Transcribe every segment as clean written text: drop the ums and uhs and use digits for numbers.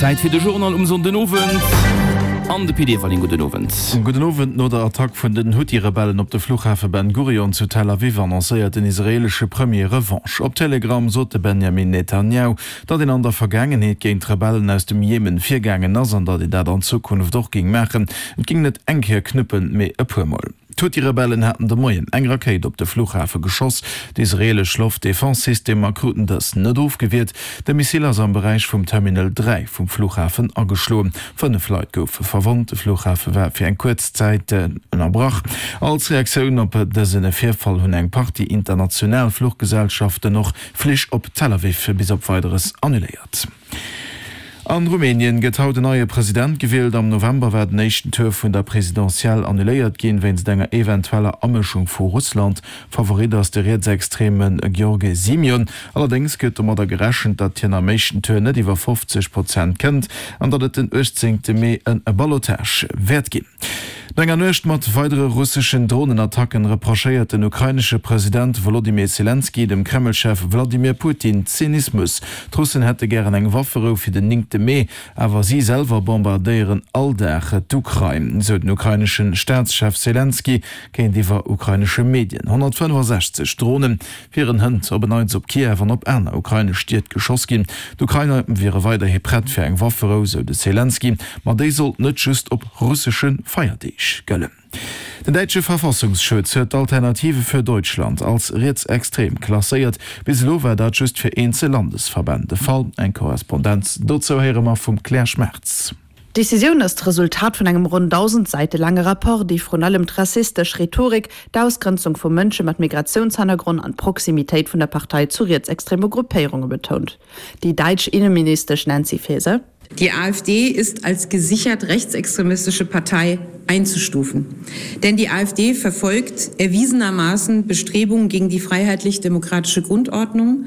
Zäit fir de Journal um Sonndenowend an de Pit Everling. Gudden Owend. Gudden Owend. No der Attack vun den Huthi-Rebellen op de Fluchhafe Ben Gurion zu Tel Aviv annoncéiert den israeelesche Premier Revanche. Op Telegram sot de Benjamin Netanjahu, datt een an der Vergaangenheet géint d'Rebellen aus dem Jemen virgaangen ass an datt een dat an Zukunft och géing maachen. Et géing net eng Kéier knuppen, mee e puer Mol. D'Huthi-Rebellen haten de Moien eng Rakéit op de Fluchhafe geschoss. D'israeelesch Loftdefense-Systemer kruten dës net ofgewiert. De Missile ass am Beräich vum Terminal 3 vum Fluchhafen ageschloen. 5 Leit goufe verwonnt. De Fluchhafe war fir eng kuerz Zäit ënnerbrach. Als Reaktioun op dëse Virfall hunn eng Partie international Fluchgesellschaften och Flich op Tel Aviv bis op Weideres annuléiert. An Rumänien gëtt haut en neie President gewielt. Am November war den éischten Tour vun der Presidentielle annuléiert ginn, wéinst enger eventueller Amëschung vu Russland. Favorit ass de rietsextreme Gheorghe Simion. Allerdéngs gëtt domadder gerechent, datt hien am éischten Tour net iwwer 50 Prozent kënnt an datt et den 18 Mee e Ballotage wäert ginn. No enger Nuecht mat weidere russeschen Dronenattacken reprochéiert den ukrainesche President Wolodymyr Selenskyj dem Kreml-Chef Wladimir Putin Zynismus. D'Russen hätte gären eng Wafferou fir den néngte Mee, awer si selwer bombardéieren all Dag d'Ukrain, sou den ukrainesche Staatschef Selenskyj géintiwwer ukrainesche Medien. 165 Drone wieren hënt op en Neits op Kiew an op aner ukrainesch Stied geschoss ginn. D'Ukrainer wiere weiderhi prett fir eng Wafferou, sou de Selenskyj, ma déi sollt net just op russesche Feierdeeg gëllen. Den däitsche Verfassungsschutz huet d'Alternative für Deutschland als rietsextrem klasséiert. Bis elo war dat just fir eenzel Landesverbänn de Fall. Eng Korrespondenz dozou héiere mer vum Claire Schmartz. D'Decisioun ass d'Resultat vun engem ronn 1.000 Säite laange Rapport, dee vrun allem d'rassistesch Rhetorik, d'Ausgrenzung vu Mënsche mat Migratiounshannergronn an d'Proximitéit vun der Partei zu rietsextreme Gruppéierunge betount. Déi däitsch Inneministesch Nancy Faeser. Die AfD ist als gesichert rechtsextremistische Partei einzustufen. Denn die AfD verfolgt erwiesenermaßen Bestrebungen gegen die freiheitlich-demokratische Grundordnung.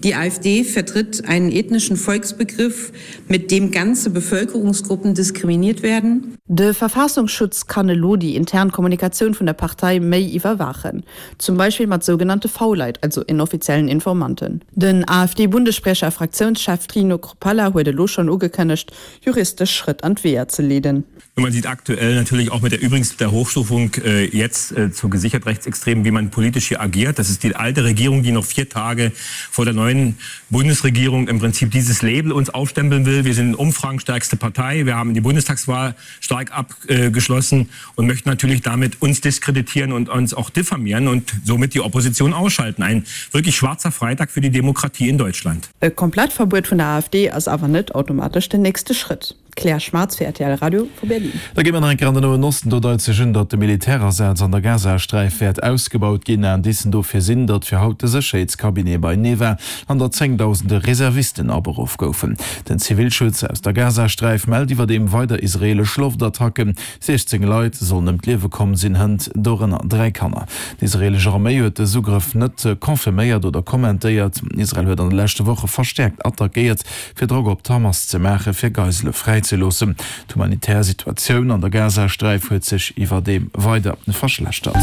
Die AfD vertritt einen ethnischen Volksbegriff, mit dem ganze Bevölkerungsgruppen diskriminiert werden. De Verfassungsschutz kann elo déi intern Kommunikatioun vun der Partei méi iwwerwaachen, zum Beispill mat sougenannte V-Leit, also inoffiziellen Informanten. Den AfD-Bundesspriecher a Fraktiounschef Trino Chrupalla huet elo schonn ugekënnegt, juristesch Schrëtt an d'Weeër ze leeden. Man sieht aktuell natürlich auch mit der übrigens der Hochstufung äh, jetzt äh, zu gesichert Rechtsextremen, wie man politisch hier agiert. Das ist die alte Regierung, die noch vier Tage vor der neuen Bundesregierung im Prinzip dieses Label uns aufstempeln will. Wir sind umfragenstärkste Partei. Wir haben die Bundestagswahl stark abgeschlossen und möchten natürlich damit uns diskreditieren und uns auch diffamieren und somit die Opposition ausschalten. Ein wirklich schwarzer Freitag für die Demokratie in Deutschland. E Komplettverbuet vun der AfD ass awer net automatesch den nächste Schrëtt. D'Claire Schmartz fir rtl Radio vu Berlin. Da gi mer nach eng Kéier an den Noen Osten. Do deit sech un, datt de Militärasaz an der Gazasträif wäert ausgebaut ginn. Indicen dofir sinn, datt fir haut de Sécherheetscabinet beinee war an datt zéngdausende Reservisten aberuff goufen. Den Zivilschutz aus der Gazasträif mellt iwwerdeem weider israeelesch Loftattacken. 16 Leit sollen ëm d'Liewe komm sinn, hënt dorënner 3 Kanner. D'israeelesch Arméi huet dës Ugrëff net confirméiert oder kommentéiert. Israel huet an de leschte Woche verstäerkt attackéiert, fir Drock op d'Hamas ze maachen, fir Geisele fräizeloossen. D'humanitär Situatioun an der Gazasträif huet sech iwwerdeem weider verschlechtert.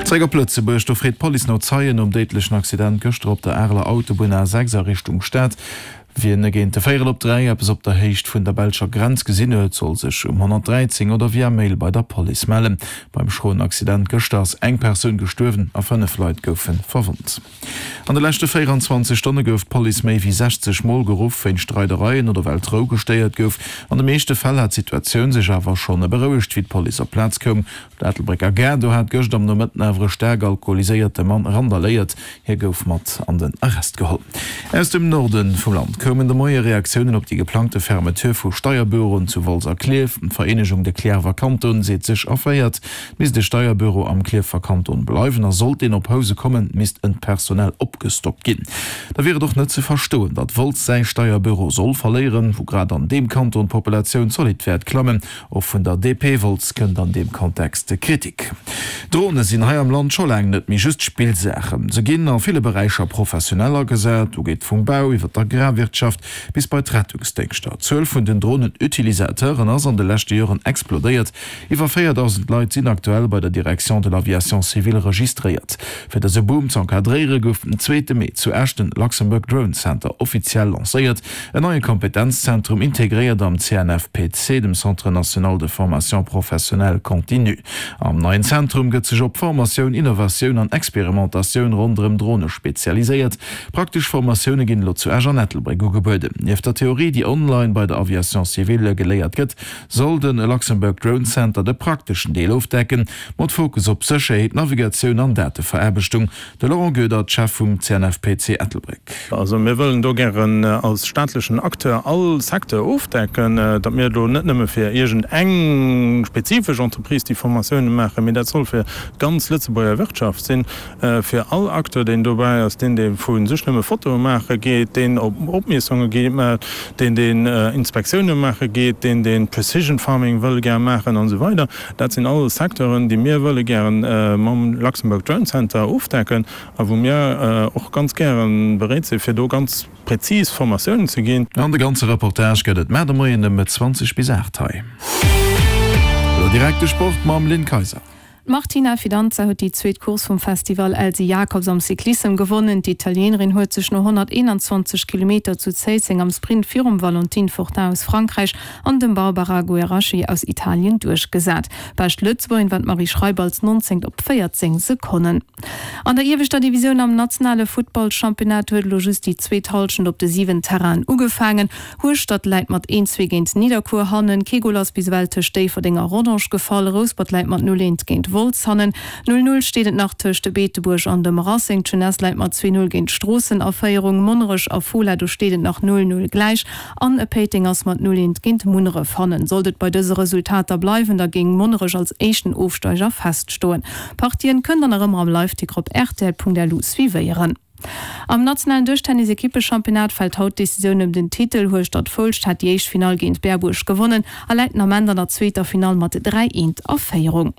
Zeréck op Lëtzebuerg, Do freet d'Police no Zeien nom déidlechen Accident gëschter op der Areler Autobunn A6 a Richtung Stad. Wien géint de véierel op 3 eppes op der Héicht vun der belscher Grenz gesinn huet, soll sech um 113 oder via Mail bei der Police mellen. Beim schroen Accident gëschter ass eng Persoun gestuerwen a 5 Leit goufe verwonnt. An de leschte 24 Stonne gouf d'Police méi wéi 60 Mol geruff wéinst Streidereien oder well d'Rou gestéiert gouf. An de meeschte Fäll hat d'Situatioun sech awer schonn berouegt, wéi d'Police op d'Plaz koum. Op der Ettelbrécker Gare, do hat gëscht am Nomëtten awer e staark alkoholiséierte Mann randaléiert. Hie gouf mat an den Arrest geholl. Aus dem Norde vum Land koumen de Moie Reaktiounen op déi geplangte Fermeture vu Steierbüroen zu Wolz a Klierf. D'Vereenegung De Cliärrwer Kanton seet sech erféiert. Misst e Steierbüro am Klierfer Kanton bleiwen a sollt deen op Housen kommen, misst en personell opgestockt ginn. Da wier et och net ze verstoen, datt Wolz säi Steierbüro soll verléieren, wou grad an deem Kanton d'Populatioun zolidd wäert klammen. Och vun der DP Wolz kënnt an deem Kontext Kritik. Drone sinn hei am Land scho laang net méi just Spillsaachen. Se ginn a ville Beräicher professionell agesat, do geet vum Bau iwwer d'Agrarwirtschaft. Wirtschaft bis bei d'Rettungsdéngschter. D'Zuel vun den Dronen-Utilisateuren ass an de leschte Joren explodéiert. Iwwer 4.000 Leit sinn aktuell bei der Direction de l'aviation civile registréiert. Fir dëse Boom z'encadréiere gouf den zweete Mee zu Esch den Luxembourg Drone Center offiziell lancéiert, en neie Kompetenzzentrum, integréiert am CNFPC, dem Centre national de formation professionnelle continue. Am neien Zentrum gëtt sech op Formatioun, Innovatioun an Experimentatioun ronderëm Drone spezialiséiert. Praktesch Formatioune ginn elo zu Esch an Ettelbréck ugebueden. Nieft der Theorie, déi online bei der Aviation civile geléiert gëtt, soll de Luxembourg Drone Center de prakteschen Deel ofdecken, mat Fokus op Sécherheet, Navigatioun an Dateveraarbechtung. De Laurent Goedert, Chef vum CNFPC Ettelbréck. Also mir wëllen do gären als staatlechen Acteur all Secteur ofdecken, datt mir do net nëmme fir iergend eng spezifesch Entreprise déi Formatioune maachen, mee dat soll fir d'ganz Lëtzebuerger Wirtschaft sinn, fir all Acteur deen dobäi ass, deen dee vu sech nëmme Fotoe maache geet, deen op Opmiessunge geet, deen deen Inspektioune maache geet, deen deen Precision Farming wëll gär maachen an esou weider. Dat sinn all Secteuren, déi mir wëlle gären mam Luxembourg Drone Center ofdecken a wou mir och ganz gäre bereet sinn, fir do ganz prezis Formatiounen ze ginn. An de ganze Reportage gëtt et mar de Moien ëm 20 bis 8 hei. Elo direkt de Sport mam Lynn Kayser. D'Martina Fidanza huet déi zweet Course vum Festival Elsy Jacobs am Cyclissem gewonnen. D'Italienerin huet sech no 121 Kilometer zu Zéisseng am Sprint virum Valentine Fortin aus Frankräich an dem Barbara Gueraschi aus Italien duerchgesat. Bescht Lëtzebuergerin war d'Marie Schreiber als 19. op 14 Sekonnen. An der ieweschter Divisioun am nationale Futtballchampionnat huet elo just déi zweet Hallschent op de 7 Terrainen ugefaangen. Hueschtert läit mat 1, 2 géint Nidderkuer hannen. Kee Gol ass bis ewell tëscht Déifferdeng a Rodange gefall. Rouspert läit mat 0, 1 géint Wolz hannen. 0, 0 steet et nach tëscht Beetebuerg an dem Racing. D'Jeunesse läit mat 2, 0 géint Stroossen a Féierung. Monnerech a Fola, do steet et nach 0, 0 gläich. An Péiteng ass mat 0, 1 géint Munneref hannen. Sollt et bei dëse Resultater bleiwen, da géing Monnerech als éischten Ofsteiger feststoen. D'Partien kënnt der nach ëmmer am Liveticker op rtl.lu suivéieren. Am nationalen Dëschtennis-Ekippechampionnat fält haut d'Decisioun ëm den Titel. Hueschtert-Foulscht hat déi éischt Finall géint Berbuerg gewonnen a läit den Ament an der zweeter Finall mat 3, 1 a Féierung.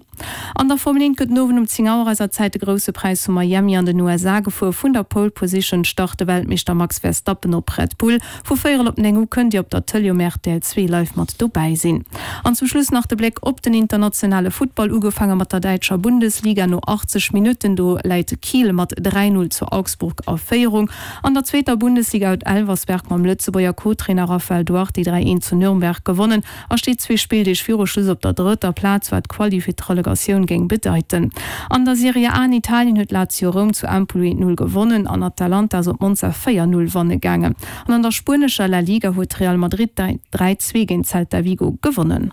An der Formel 1 gëtt den Owend um 10 Auer eiser Zäit de Grousse Präis vu Miami an den USA gefuer. Vun der Pole Position start de Weltmeeschter Max Verstappen op Red Bull. Vu véierel op 9 u kënnt Dir op der Tëlee um rtl 2 live mat dobäi sinn. An zum Schluss nach de Bléck op den internationale Futtball, ugefaange mat der däitscher Bundesliga. No 80 Minutten do läit Kiel mat 3, 0 zu Augsburg a Féierung. An der zweeter Bundesliga huet Elversberg mam Lëtzebuerger Co-Trainer Raphael Duarte 3, 1 zu Nürnberg gewonnen a steet zwee Spilldeeg viru Schluss op der drëtter Plaz, wat d'Quali fir d'Relegatioun géing bedeiten. An der Serie A an Italien huet Lazio Roum zu Empoli 1, 0 gewonnen an Atalanta ass op Monza 4, 0 wanne gaangen. An an der spuenescher La Liga huet Real Madrid 3, 2 géint Celta Vigo gewonnen.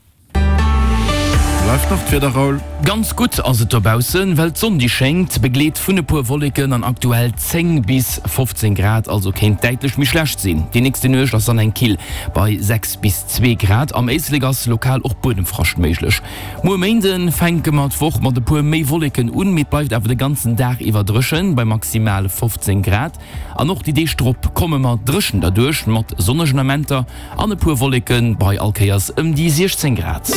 Bleift nach d'Wieder, Raoul? Ganz gutt ass et dobaussen, well d'Sonn déi schéngt, begleet vun e puer Wolleken an aktuell 10 bis 15 Grad, also kéint däitlech méi schlecht sinn. Déi nächste Nuecht ass dann eng kill bei 6 bis 2 Grad, am Éislek ass lokal och Buedemfrascht méiglech. Muer Méinde fänke mer d'Woch mat e puer méi Wolleken un, mee et bleift awer de ganzen Dag iwwer dréchen bei maximal 15 Grad. An och déi Deeg drop komme mer dréchen derduerch, mat sonnegen Amenter an e puer Wolleke bei all Kéiers ëm déi 16 Grad.